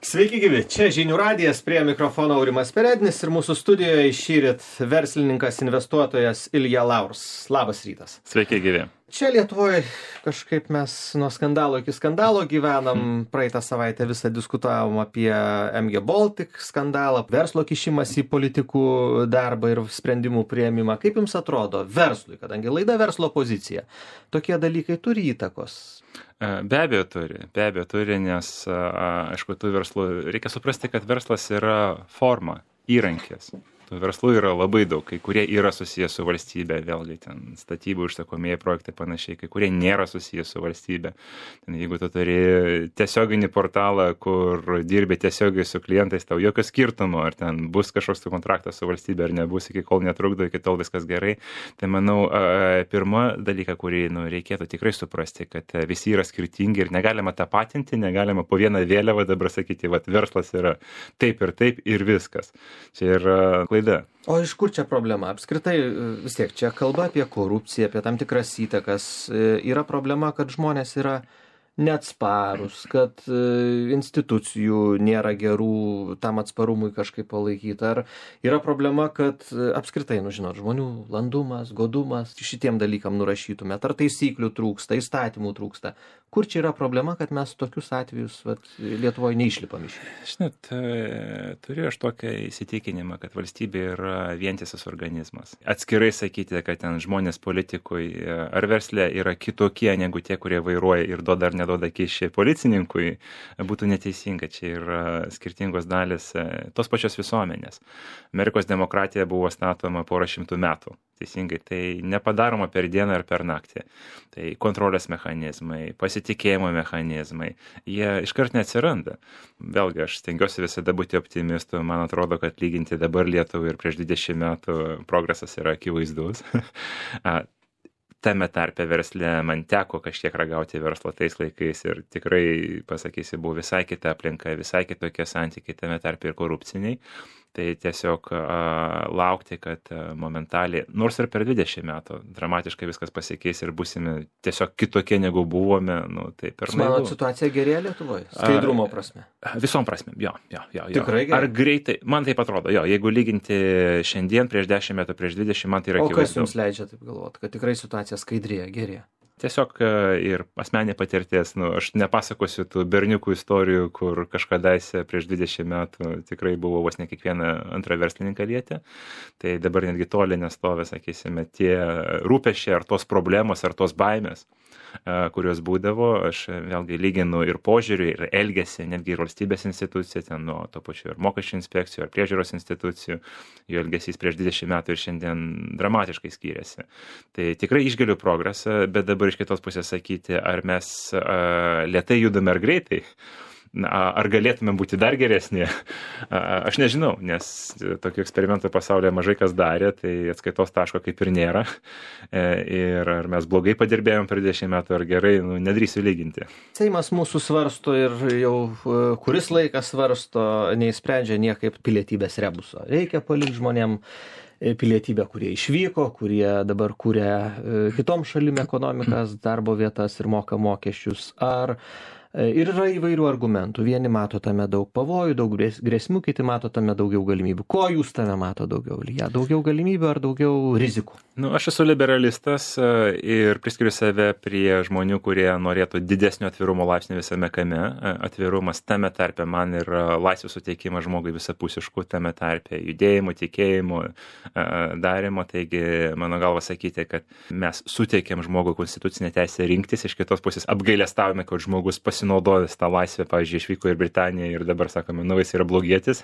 Sveiki gyvi, čia Žinių radijas, prie mikrofono Aurimas Perednis ir mūsų studijoje šįryt verslininkas, investuotojas Ilja Laurs. Labas rytas. Sveiki gyvi. Čia Lietuvoje kažkaip mes nuo skandalo iki skandalo gyvenam. Praeitą savaitę visą diskutavom apie MG Baltic skandalą, verslo kišimas į politikų darbą ir sprendimų priėmimą. Kaip jums atrodo verslui, kadangi laida verslo pozicija, tokie dalykai turi įtakos? Be abejo turi, nes, aišku, tų verslų, reikia suprasti, kad verslas yra forma, įrankis. Tų verslų yra labai daug, kai kurie yra susijęs su valstybė, vėlgi ten statybų užsakomieji projektai panašiai, kai kurie nėra susijęs su valstybė. Ten, jeigu tu turi tiesioginį portalą, kur dirbi tiesiogiai su klientais, tau jokio skirtumo, ar ten bus kažkoks kontraktas su valstybė, ar nebus, iki kol netrukdo, iki tol viskas gerai. Tai manau, pirma dalyka, kurį reikėtų tikrai suprasti, kad visi yra skirtingi ir negalima tapatinti, negalima po vieną vėliavą dabar sakyti, vat verslas yra taip ir viskas. Čia yra O iš kur čia problema? Apskritai vis tiek čia kalba apie korupciją, apie tam tikras įtakas. Yra problema, kad žmonės yra neatsparus, kad institucijų nėra gerų tam atsparumui kažkaip palaikyti. Ar yra problema, kad apskritai, žmonių landumas, godumas, šitiem dalykam nurašytumėt, ar taisyklių trūksta, įstatymų trūksta. Kur čia yra problema, kad mes tokius atvejus Lietuvoje neišlipam iš? Žinot, turiu aš tokią įsitikinimą, kad valstybė yra vientisas organizmas. Atskirai sakyti, kad ten žmonės politikui ar versle yra kitokie negu tie, kurie vairuoja ir duoda ar neduoda kyšį policininkui, būtų neteisinga. Čia yra skirtingos dalis tos pačios visuomenės. Amerikos demokratija buvo statoma porą šimtų metų. Teisingai, tai nepadaroma per dieną ar per naktį. Tai kontrolės mechanizmai, pasitikėjimo mechanizmai, jie iškart neatsiranda. Vėlgi, aš stengiuosi visada būti optimistu. Man atrodo, kad lyginti dabar Lietuvą ir prieš 20 metų progresas yra akivaizdus. Tame tarpe versle man teko kažkiek ragauti verslo tais laikais ir tikrai, pasakysiu, buvo visai kita aplinka, visai kitokie santykiai, tame tarpe ir korupciniai. Tai tiesiog laukti, kad momentaliai, nors ir per 20 metų, dramatiškai viskas pasikeis ir būsime tiesiog kitokie negu buvome, tai per naivu. Manot, situacija gerėja Lietuvoje? Skaidrumo prasme? Visom prasme, jo. Tikrai gerai? Ar greitai? Man taip atrodo, jeigu lyginti šiandien prieš 10 metų, prieš 20, man tai yra akivaizdu. O kas jums leidžia taip galvoti, kad tikrai situacija skaidrėja, gerėja? Tiesiog ir asmeninė patirties, aš nepasakosiu tų berniukų istorijų, kur kažkadaise prieš 20 metų tikrai buvo vos ne kiekvieną antrą verslininką lietė. Tai dabar netgi toli nestovi, sakysime, tie rūpesčiai ar tos problemos, ar tos baimės, kurios būdavo. Aš vėlgi lyginu ir požiūrį, ir elgesį, netgi ir valstybės institucijų, ten nuo to pačiu ir mokesčių inspekcijų, ar priežiūros institucijų. Jų elgesys prieš 20 metų ir šiandien dramatiškai skiriasi. Tai tikrai išgaliu progresą, bet dabar iš kitos pusės sakyti, ar mes lėtai judame ar greitai, ar galėtume būti dar geresni, aš nežinau, nes tokių eksperimentų pasaulyje mažai kas darė, tai atskaitos taško kaip ir nėra. Ir ar mes blogai padirbėjom per 20 metų ar gerai, nedrįsiu lyginti. Seimas mūsų svarsto ir jau kuris laikas svarsto, neįsprendžia niekaip pilietybės rebuso. Reikia palikti žmonėm pilietybę, kurie išvyko, kurie dabar kūrė kitom šalim ekonomikas, darbo vietas ir moka mokesčius. Ir yra įvairių argumentų. Vieni mato tame daug pavojų, daug grėsmių, kiti mato tame daugiau galimybių. Ko jūs tame mato daugiau? Daugiau galimybių ar daugiau rizikų? Aš esu liberalistas ir priskiriu save prie žmonių, kurie norėtų didesnio atvirumo laipsnio visame kame. Atvirumas tame tarpe man yra laisvės suteikimas žmogui visapusiškų, tame tarpe judėjimo, tikėjimo, darimo. Taigi, mano galva sakyti, kad mes suteikėm žmogui konstitucinę teisę rinktis, iš kitos pusės apgailestavome, kad žmogus pasinaudojęs tą laisvę, pavyzdžiui, išvyko į Britaniją ir dabar sakome, jis yra blogietis,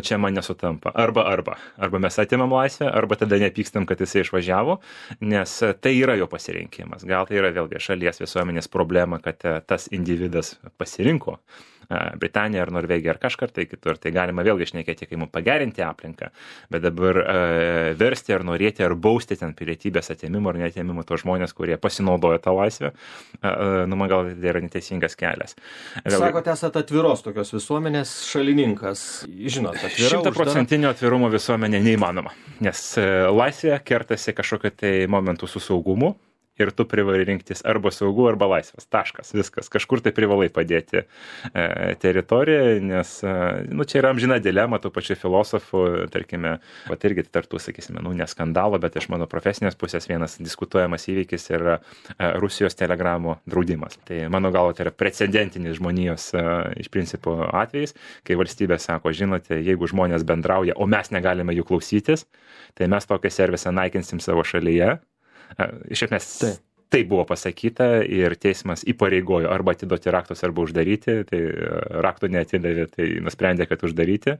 čia man nesutampa. Arba mes atimam laisvę, arba tada nepykstam, kad jisai išvažiavo, nes tai yra jo pasirinkimas. Gal tai yra vėlgi šalies visuomenės problema, kad tas individas pasirinko Britaniją ar Norvegiją ar kažkur tai kitur. Tai galima vėlgi šnekėti, kaip mums pagerinti aplinką, bet dabar versti ar norėti ar bausti ten pilietybės atėmimo ar neatėmimo to žmonės, kurie pasinaudoja tą laisvę, man gal tai yra neteisingas kelias. Sakote, esate atviros tokios visuomenės šalininkas. Žinot, atvira, 100% atvirumo visuomenė neįmanoma, nes laisvė kertasi kažkokiu tai momentu su saugumu. ir tu privalai rinktis arba saugu, arba laisvas. Taškas, viskas. Kažkur tai privalai padėti teritoriją, nes čia yra amžina dilema tų pačių filosofų, tarkime, irgi tartų, sakysime, ne skandalo, bet iš mano profesinės pusės vienas diskutuojamas įvykis yra Rusijos telegramų draudimas. Tai mano galvo tai yra precedentinis žmonijos iš principo atvejais, kai valstybė sako, žinote, jeigu žmonės bendrauja, o mes negalime jų klausytis, tai mes tokią servisą naikinsim savo šalyje. Iš esmės tai buvo pasakyta ir teismas įpareigojo arba atiduoti raktus, arba uždaryti, tai raktų neatidavė, tai nusprendė, kad uždaryti.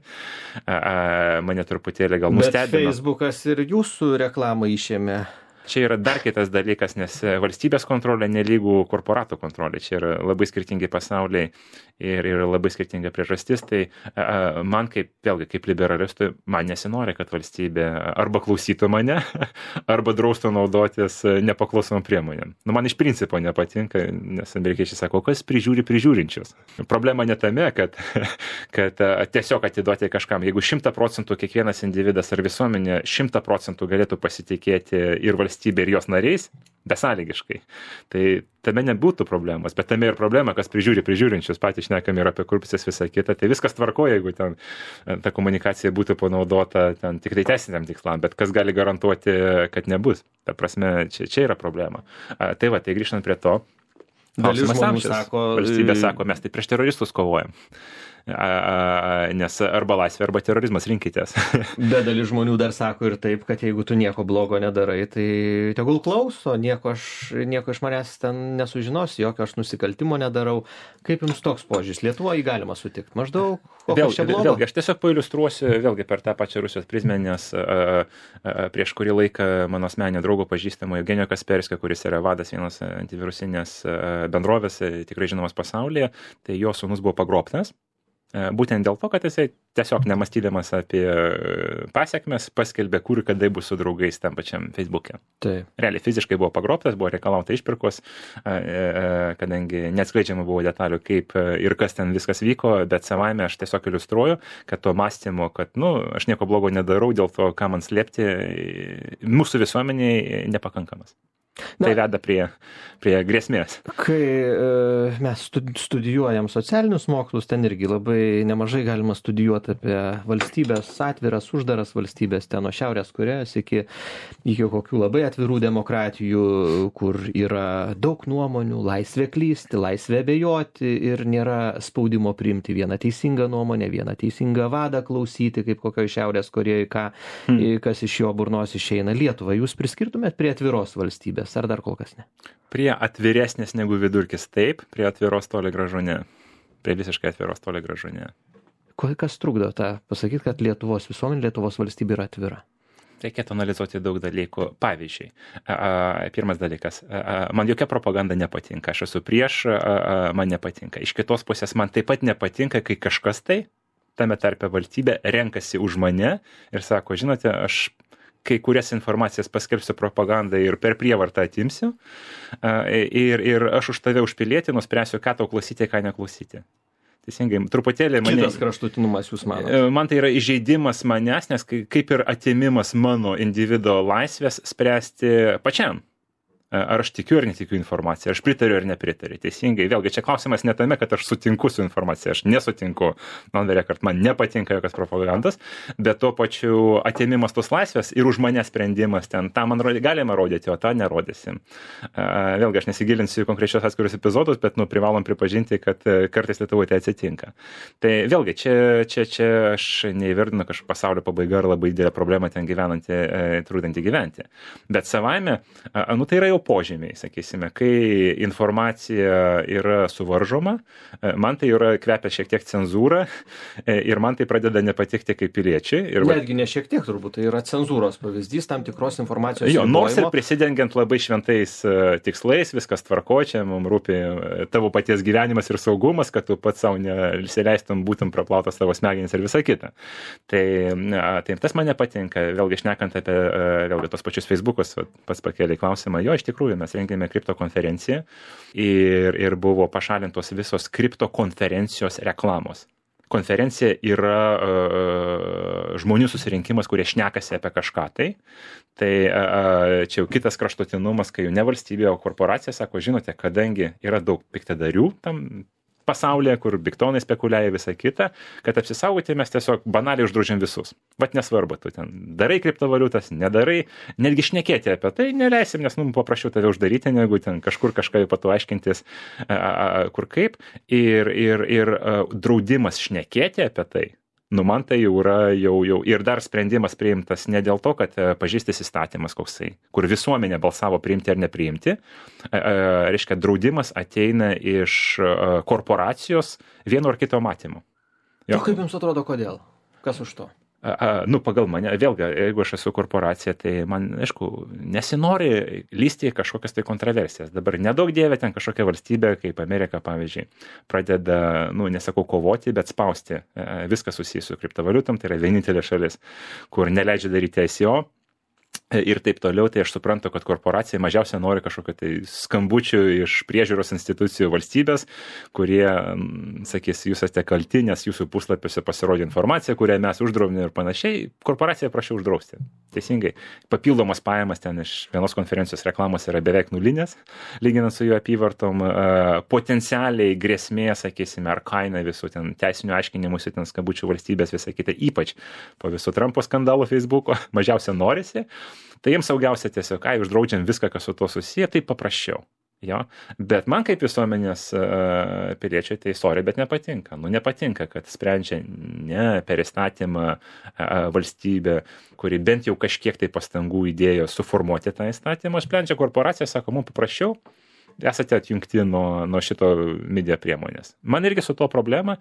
Mane truputėlį gal nustebino. Bet Facebookas ir jūsų reklamą išėmė. Čia yra dar kitas dalykas, nes valstybės kontrolė nelygų korporatų kontrolė. Čia yra labai skirtingi pasauliai ir labai skirtinga priežastis. Tai man kaip liberalistui, man nesinori, kad valstybė arba klausytų mane, arba draustų naudotis nepaklausomom priemonėm. Man iš principo nepatinka, nes amerikiečiai sako, kas prižiūri prižiūrinčius. Problema ne tame, kad tiesiog atiduoti kažkam. Jeigu 100% kiekvienas individas ar visuomenė 100% galėtų pasitikėti ir valstybė ir jos nariais, besąlygiškai. Tai tame nebūtų problemos, bet tame ir problema, kas prižiūri prižiūrinčius, patys šnekam ir apie korupcijas visą kitą. Tai viskas tvarkoja, jeigu ten ta komunikacija būtų panaudota ten tik tai teisiniam tikslam, bet kas gali garantuoti, kad nebus. Ta prasme, čia yra problema. Tai grįžtant prie to. Dalis žmonių sako, valstybė sako, mes tai prieš teroristus kovojam. Nes arba laisvė, arba terorizmas, rinkitės. Bet dalis žmonių dar sako ir taip, kad jeigu tu nieko blogo nedarai, tai tegul klauso, nieko iš manęs ten nesužinos, jokio aš nusikaltimo nedarau. Kaip jums toks požiūris? Lietuvoje galima sutikti? Maždaug, kokios čia blogo? Vėlgi, aš tiesiog pailiustruosiu vėlgi per tą pačią Rusijos prizmę, nes prieš kurį laiką mano asmeninio draugo pažįstamo Evgenijo Kasperskio, kuris yra vadas vienos antivirusinės bendrovės, tikrai žinomas pasaulyje, tai jo sūnus buvo pagrobtas. Būtent dėl to, kad jisai tiesiog nemąstydamas apie pasekmes paskelbė, kur kada bus su draugais tam pačiam Facebook'e. Realiai fiziškai buvo pagrobtas, buvo reikalauta išpirkos, kadangi neatskleidžiama buvo detalių, kaip ir kas ten viskas vyko, bet savaime aš tiesiog iliustruoju, kad to mąstymo, kad aš nieko blogo nedarau, dėl to, ką man slėpti, mūsų visuomeniai nepakankamas. Tai veda prie grėsmės. Kai mes studijuojam socialinius mokslus, ten irgi labai nemažai galima studijuoti apie valstybės, atviras, uždaras valstybės, ten nuo Šiaurės Korėjos iki kokių labai atvirų demokratijų, kur yra daug nuomonių, laisvė klysti, laisvė abejoti ir nėra spaudimo priimti vieną teisingą nuomonę, vieną teisingą vadą klausyti, kaip kokioje Šiaurės Korėjoje, kas iš jo burnos išeina. Lietuvą jūs priskirtumėt prie atviros valstybės? Ar dar kol kas ne? Prie atviresnės negu vidurkis taip, prie atviros toli gražu ne. Prie visiškai atviros toli gražu ne. Kas trukdo tą pasakyti, kad Lietuvos visuomenė, Lietuvos valstybė yra atvira? Reikėtų analizuoti daug dalykų. Pavyzdžiui, pirmas dalykas, man jokia propaganda nepatinka, aš esu prieš, man nepatinka. Iš kitos pusės man taip pat nepatinka, kai kažkas tame tarpe valstybė renkasi už mane ir sako, žinote, aš kai kurias informacijas paskelbsiu propagandą ir per prievartą atimsiu ir aš už tave už pilietį nuspręsiu, ką tau klausyti, ką neklausyti. Teisingai, truputėlį mane... Kitas kraštutinumas jūs manote? Man tai yra įžeidimas manęs, nes kaip ir atimimas mano individo laisvės spręsti pačiam. Ar aš tikiu ar netikiu informaciją, aš pritariu ar nepritariu. Teisingai, vėlgi, čia klausimas ne tame, kad aš sutinku su informacija, aš nesutinku, man nepatinka jokios propagandos, bet tuo pačiu atėmimas tos laisvės ir už mane sprendimas ten, tą man galima rodyti, o tą nerodysim. Vėlgi, aš nesigilinsiu į konkrečios atskirius epizodus, bet privalom pripažinti, kad kartais Lietuvoje tai atsitinka. Tai vėlgi, čia aš neįvardinu kažkokio pasaulio pabaiga ar labai didelė problema ten gyvenanti, trūkdanti gyventi. Bet savaime, tai yra jau požymiai, sakysime, kai informacija yra suvaržoma, man tai yra kvepia šiek tiek cenzūra ir man tai pradeda nepatikti kaip piliečiai. Netgi ne šiek tiek turbūt, tai yra cenzūros pavyzdys tam tikros informacijos. Jo, nors ir prisidengiant labai šventais tikslais, viskas tvarkoja, čia mums rūpi tavo paties gyvenimas ir saugumas, kad tu pats savo nesileistum, būtum praplautas savo smegenis ir visa kita. Tai tas man nepatinka, vėlgi šnekant apie vėlgi tos pačius Facebookus, pats pakėlė klausimą, jo, iš tikrųjų mes rengėme kriptokonferenciją ir buvo pašalintos visos kriptokonferencijos reklamos. konferencija yra žmonių susirinkimas, kurie šnekasi apie kažką tai čia jau kitas kraštutinumas, kai jau ne valstybė, o korporacija sako, žinote, kadangi yra daug piktadarių tam pasaulyje, kur biktonai spekuliuoja visą kitą, kad apsisaugoti mes tiesiog banaliai uždraudžiam visus. Vat nesvarbu, tu ten darai kriptovaliutas, nedarai, netgi šnekėti apie tai neleisim, nes paprašiau tave uždaryti, negu ten kažkur kažką jau patu aiškintis, kur kaip. Ir draudimas šnekėti apie tai, man tai jau yra jau ir dar sprendimas priimtas ne dėl to, kad pažįstis įstatymas koksai, kur visuomenė balsavo priimti ar nepriimti. Reiškia, draudimas ateina iš korporacijos vieno ar kito matymo. O kaip jums atrodo, kodėl? Kas už to? Pagal mane, vėlgi, jeigu aš esu korporacija, tai man, aišku, nesinori lysti į kažkokias tai kontroversijas. Dabar nedaug dievė ten kažkokia valstybė, kaip Amerika, pavyzdžiui, pradeda, nesakau kovoti, bet spausti viską susijęs su kriptovaliutom, tai yra vienintelė šalis, kur neleidžia daryti ICO. Ir taip toliau, tai aš suprantu, kad korporacija mažiausia nori kažkokio tai skambučių iš priežiūros institucijų valstybės, kurie sakys, jūs esate kalti, nes jūsų puslapiuose pasirodė informacija, kurią mes uždraudėme ir panašiai. Korporacija prašau uždrausti. Teisingai. Papildomas pajamas ten iš vienos konferencijos reklamos yra beveik nulinės, lyginant su jų apyvartom. Potencialiai grėsmė, sakysime, ar kaina visų ten teisinių aiškinimuose, ten skambučių valstybės, visą kitą, ypač po visų Trumpo skandalų Facebook'o, mažiausia norisi. Tai jiems saugiausia tiesiog, uždraudžiam viską, kas su to susiję, tai paprasčiau. Jo? Bet man kaip visuomenės piliečiai tai sorry, bet nepatinka. Nepatinka, kad sprendžia ne per įstatymą valstybė, kuri bent jau kažkiek tai pastangų įdėjo suformuoti tą įstatymą, sprendžia korporacija, sako, mums paprasčiau, esate atjungti nuo šito media priemonės. Man irgi su to problema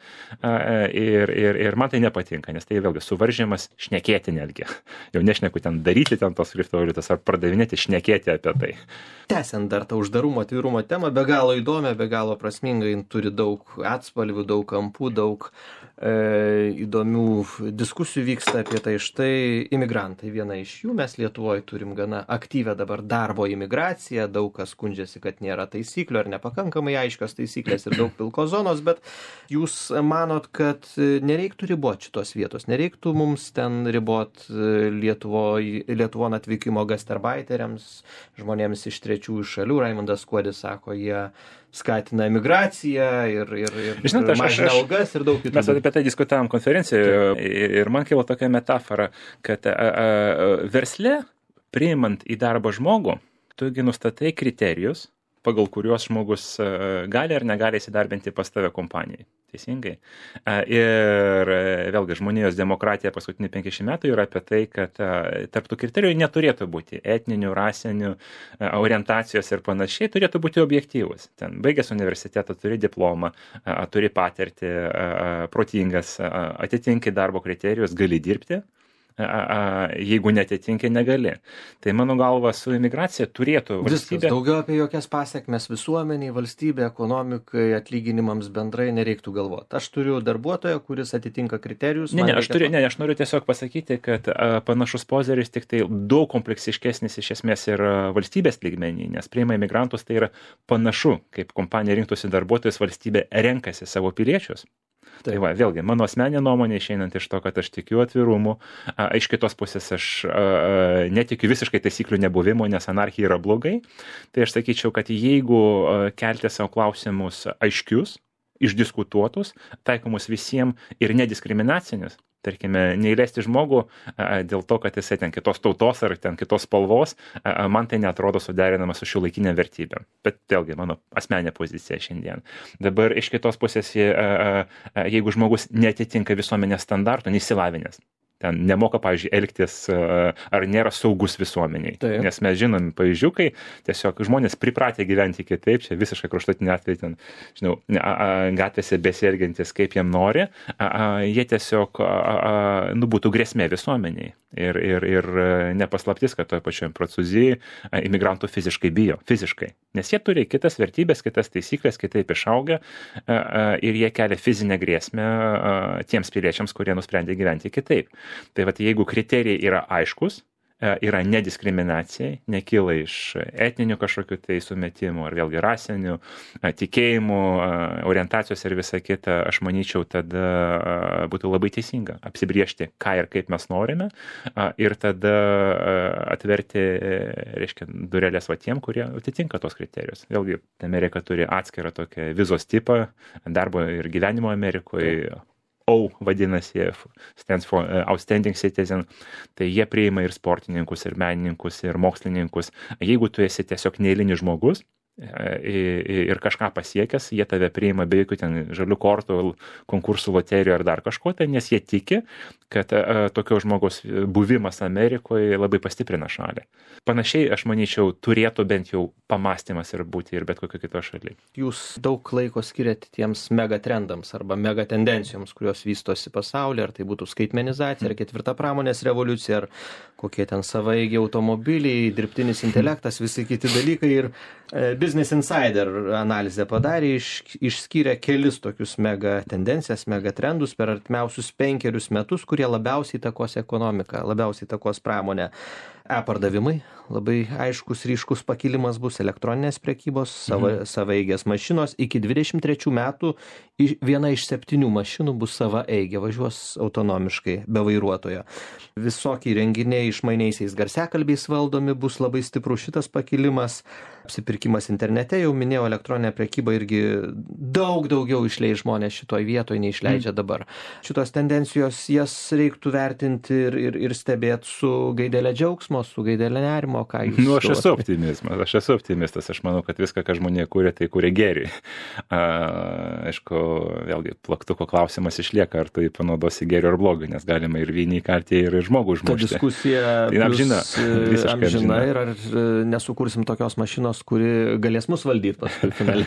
ir man tai nepatinka, nes tai vėlgi suvaržymas šnekėti netgi. Jau nešneku ten daryti ten tos kriptovaliutas ar pardavinėti, šnekėti apie tai. Tęsiant dar tą uždarumo, atvirumo temą, be galo įdomią, be galo prasmingai, turi daug atspalvių, daug kampų, daug įdomių diskusijų vyksta apie tai. Štai imigrantai, viena iš jų, mes Lietuvoje turim gana aktyvę dabar darbo imigraciją, daug kas skundžiasi, kad nėra taisyklių ar nepakankamai aiškios taisyklės ir daug pilkos zonos, bet jūs manot, kad nereiktų riboti šitos vietos, nereiktų mums ten riboti Lietuvon atvykimo gastarbaiteriams, žmonėms iš trečiųjų šalių. Raimundas Kuodis sako, jie skatina emigraciją ir mažina algas ir daug kitų. Mes apie tai diskutavom konferencijoje ir man kilo tokia metafora, kad versle, priimant į darbą žmogų, tugi nustatai kriterijus, pagal kuriuos žmogus gali ar negali įsidarbinti pas tave kompanijai. Teisingai. Ir vėlgi žmonijos demokratija paskutinių 50 metų yra apie tai, kad tarp tų kriterijų neturėtų būti etninių, rasinių, orientacijos ir panašiai, turėtų būti objektyvus. Ten baigęs universitetą, turi diplomą, turi patirtį, protingas, atitinki darbo kriterijus, gali dirbti. Jeigu netitinki, negali. Tai mano galva su imigracija turėtų valstybė... Viskas, daugiau apie jokias pasiekmes visuomeniai, valstybė, ekonomikai, atlyginimams bendrai nereiktų galvoti. Aš turiu darbuotoją, kuris atitinka kriterijus. Aš noriu tiesiog pasakyti, kad panašus požiūris tik tai daug kompleksiškesnis iš esmės ir valstybės lygmenį, nes priima imigrantus, tai yra panašu, kaip kompanija rinktųsi darbuotojus, valstybė renkasi savo piliečius. Tai va, vėlgi, mano asmeninė nuomonė išeinant iš to, kad aš tikiu atvirumu, iš kitos pusės aš netikiu visiškai taisyklių nebuvimo, nes anarchija yra blogai, tai aš sakyčiau, kad jeigu kelti savo klausimus aiškius, išdiskutuotus, taikomus visiems ir nediskriminacinius, tarkime, neįleisti žmogų dėl to, kad jisai ten kitos tautos ar ten kitos spalvos, man tai neatrodo suderinama su šiuolaikinėm vertybėm. Bet vėlgi, mano asmeninė pozicija šiandien. Dabar iš kitos pusės, jeigu žmogus netitinka visuomenės standartų, neišsilavinęs, ten nemoka, pavyzdžiui, elgtis ar nėra saugus visuomeniai. Taip. Nes mes žinom pavyzdžių, kai tiesiog žmonės pripratę gyventi kitaip, čia visiškai kraštutinė atveju, ten, žinau, gatvėse besielgiantis kaip jiem nori, jie tiesiog būtų grėsmė visuomeniai. Ir nepaslaptis, kad toje pačioje Prancūzijoje imigrantų fiziškai bijo. Fiziškai. Nes jie turi kitas vertybės, kitas taisyklės, kitaip išauga ir jie kelia fizinę grėsmę tiems piliečiams, kurie nusprendė gyventi kitaip. Tai vat, jeigu kriterijai yra aiškus, yra nediskriminacijai, nekyla iš etninių kažkokių tai sumetimų, ar vėlgi rasinių, tikėjimų, orientacijos ir visa kita, aš manyčiau, tada būtų labai teisinga apsibriežti, ką ir kaip mes norime, ir tada atverti, reiškia, durelės tiem, kurie atitinka tos kriterijus. Vėlgi, Amerika turi atskirą tokią vizos tipą, darbo ir gyvenimo Amerikoje. O vadinasi, stands for Outstanding Citizen, tai jie priima ir sportininkus, ir menininkus, ir mokslininkus. Jeigu tu esi tiesiog neeilinis žmogus ir kažką pasiekęs, jie tave priima be jokių ten žalių kortų, konkursų, loterijų ar dar kažko, tai nes jie tiki, kad tokio žmogaus buvimas Amerikoje labai pastiprina šalį. Panašiai, aš manyčiau, turėtų bent jau pamastymas ir būti ir bet kokio kito šalyje. Jūs daug laiko skiriate tiems megatrendams arba megatendencijoms, kurios vystosi pasaulyje, ar tai būtų skaitmenizacija, ar ketvirta pramonės revoliucija, ar kokie ten savaeigiai automobiliai, dirbtinis intelektas, visi kiti dalykai. Ir Business Insider analizę padarė, išskyrė kelis tokius mega tendencijas, mega trendus per artimiausius 5 metus, kurie labiausiai įtakos ekonomiką, labiausiai įtakos pramonę. E-pardavimai, labai aiškus, ryškus pakilimas bus, elektroninės prekybos, savaeigės mašinos. Iki 23 metų viena iš 7 mašinų bus savaeigė, važiuos autonomiškai, be vairuotojo. Visokie renginiai išmaniaisiais garsiakalbiais valdomi, bus labai stiprus šitas pakilimas. Apsipirkimas internete, jau minėjau, elektroninė prekyba irgi daug daugiau išleis žmonės šitoj vietoj, neišleidžia dabar. Šitos tendencijos, jas reiktų vertinti ir stebėti su gaidelė džiaugsmo, su gaidelė nerimo, ką jūs... Aš esu optimistas, aš manau, kad viską, ką žmonė kūrė, tai kūrė gėrį. Aišku, vėlgi, plaktuko klausimas išlieka, ar tu jį panaudosi gėrį ar blogį, nes galima ir vienį įkalti, ir žmogų užmušti. Ta diskusija amžina ir ar nesukursim tokios mašinos, kuri galės mus valdyti paskui finale.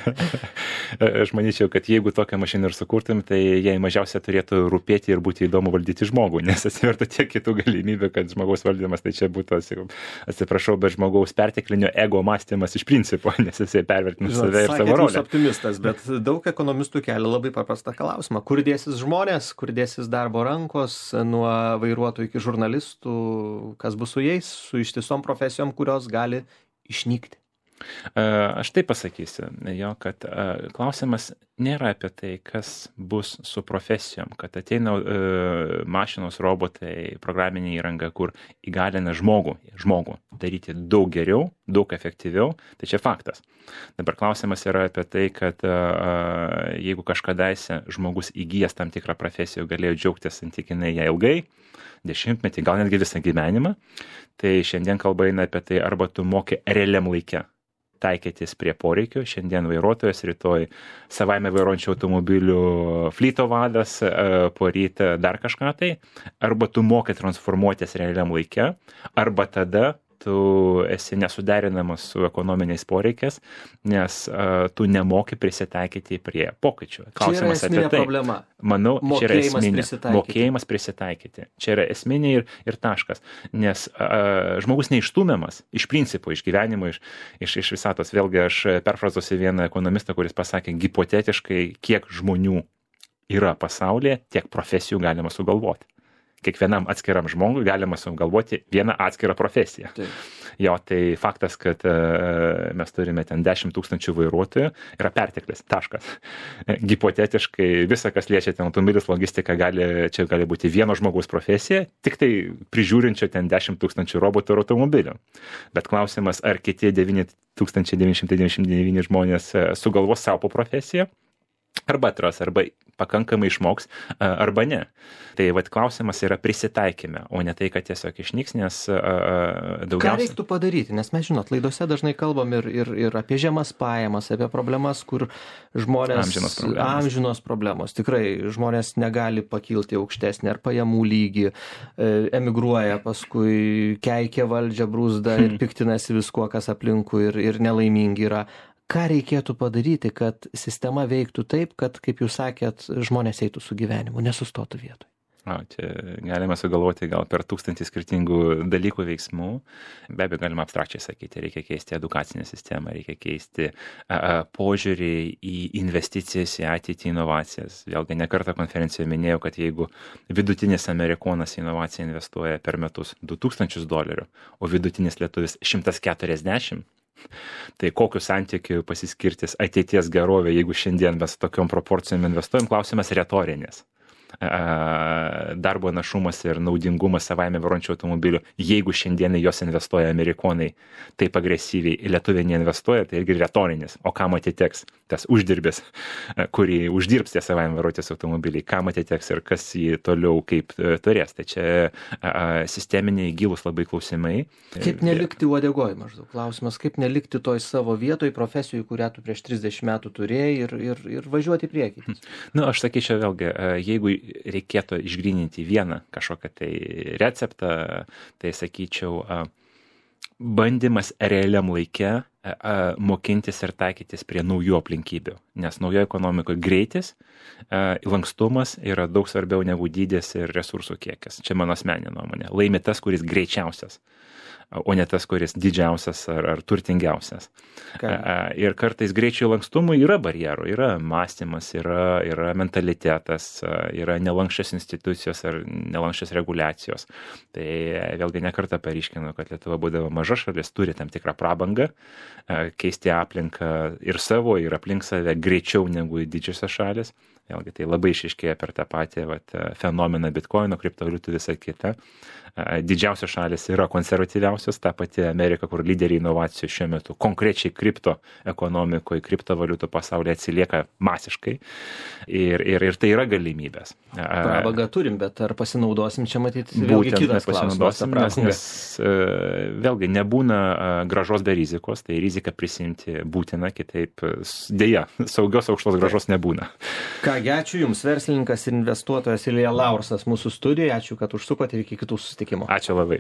Aš manyčiau, kad jeigu tokią mašiną ir sukurtum, tai jai mažiausia turėtų rūpėti ir būti įdomu valdyti žmogų, nes atsivertų tiek kitų galimybių, kad žmogaus valdymas tai čia būtų, atsiprašau, bet žmogaus perteklinio ego mąstymas iš principo, nes jisai pervertina save ir savo rolę. Jūs optimistas, bet daug ekonomistų kelia labai paprastą klausimą. Kur dėsis žmonės, kur dėsis darbo rankos, nuo vairuotojų iki žurnalistų, kas bus su jais, su ištisom profesijom, kurios gali išnykti? Aš taip pasakysiu, kad klausimas nėra apie tai, kas bus su profesijom, kad ateina mašinos, robotai, programinė įranga, kur įgalina žmogų daryti daug geriau, daug efektyviau, tai čia faktas. Dabar klausimas yra apie tai, kad jeigu kažkadaise žmogus įgijęs tam tikrą profesiją, galėjo džiaugtis santykinai ją ilgai, 10-metį, gal netgi visą gyvenimą, tai šiandien kalba eina apie tai, arba tu moki realiam laike taikytis prie poreikių. Šiandien vairuotojas, rytoj savaime vairuojančių automobilių flyto vadas, poryt dar kažką tai. Arba tu moki transformuotis realiam laike, arba tada tu esi nesuderinamas su ekonominiais poreikiais, nes tu nemoki prisitaikyti prie pokyčių. Klausimas čia yra esminė problema. Manau, čia yra esminė. Mokėjimas prisitaikyti. Čia yra esminė ir taškas. Nes žmogus neišstumiamas iš principo, iš gyvenimo, iš visatos. Vėlgi aš perfrazuosiu vieną ekonomistą, kuris pasakė, hipotetiškai, kiek žmonių yra pasaulyje, tiek profesijų galima sugalvoti. Kiekvienam atskiram žmogui galima sugalvoti vieną atskirą profesiją. Taip. Jo, tai faktas, kad mes turime ten 10 000 vairuotojų, yra perteklis, taškas. Hipotetiškai visa, kas liečia ten automobilis, logistika, čia gali būti vieno žmogaus profesija, tik tai prižiūrinčio ten 10 000 robotų ir automobilių. Bet klausimas, ar kiti 9999 žmonės sugalvos savo profesiją, arba atras, arba pakankamai išmoks, arba ne. Tai klausimas yra prisitaikyme, o ne tai, kad tiesiog išnyks, nes daugiausiai... Ką reiktų padaryti? Nes mes, laidose dažnai kalbam ir apie žemas pajamas, apie problemas, kur žmonės... Amžinos problemos. Tikrai žmonės negali pakilti aukštesnį ar pajamų lygį, emigruoja, paskui keikia valdžią, brūzda ir piktinasi viskuo, kas aplinkui ir nelaimingi yra. Ką reikėtų padaryti, kad sistema veiktų taip, kad, kaip jūs sakėt, žmonės eitų su gyvenimu, nesustotų vietoj? Čia galima sugalvoti gal per 1000 skirtingų dalykų veiksmų. Be abejo, galima abstrakčiai sakyti, reikia keisti edukacinę sistemą, reikia keisti požiūrį į investicijas, į ateitį, inovacijas. Vėlgi, ne kartą konferencijoje minėjau, kad jeigu vidutinis amerikonas į inovaciją investuoja per metus $2000, o vidutinis lietuvis 140, tai kokiu santykiu pasiskirtis ateities gerovė, jeigu šiandien mes tokiom proporcijom investuojam, klausimas retorinis. Darbo našumas ir naudingumas savaime varončių automobilių, jeigu šiandien jos investuoja amerikonai taip agresyviai, lietuviai neinvestuoja, tai irgi retorinis. O kam atiteks tas uždirbis, kurį uždirbs tie savaime varotis automobiliai, kam atiteks ir kas jį toliau kaip turės. Tai čia sisteminiai gilūs labai klausimai. Kaip nelikti uodegoj maždaug? Klausimas, kaip nelikti toj savo vietoj, profesijų, kurią tu prieš 30 metų turėjai ir važiuoti į priekį? Aš sakyčiau vėlgi, jeigu reikėtų išgryninti vieną kažkokią tai receptą, tai sakyčiau, bandymas realiam laike mokintis ir taikytis prie naujų aplinkybių. Nes naujoje ekonomikoje greitis, lankstumas yra daug svarbiau negu dydis ir resursų kiekis. Čia mano asmeninė nuomonė. Laimi tas, kuris greičiausias, o ne tas, kuris didžiausias ar turtingiausias. Ir kartais greičio lankstumui yra barjerų, yra mąstymas, yra mentalitetas, yra nelankščios institucijos ar nelankščios reguliacijos. Tai vėlgi nekartą paryškinu, kad Lietuva, būdama maža šalis, turi tam tikrą prabangą keisti aplinką ir savo, ir aplink save greičiau negu didžiosios šalis. Vėlgi tai labai išaiškėja per tą patį fenomeną Bitcoino, kriptovaliutų, visą kitą. Didžiausios šalis yra konservatyviausios, ta pati Amerika, kur lyderiai inovacijų šiuo metu konkrečiai kripto ekonomikoje, kriptovaliutų pasaulyje atsilieka masiškai ir tai yra galimybės. Prabangą turim, bet ar pasinaudosim, čia matyti vėlgi kitas klausimas. Nes vėlgi nebūna grąžos be rizikos, tai riziką prisimti būtina, kitaip dėja, saugios aukštos grąžos nebūna. Kągi, ačiū Jums, verslininkas ir investuotojas Ilja Laursas mūsų studijoje, ačiū, kad užsukote ir iki kitų susitikimų. Ačiū labai.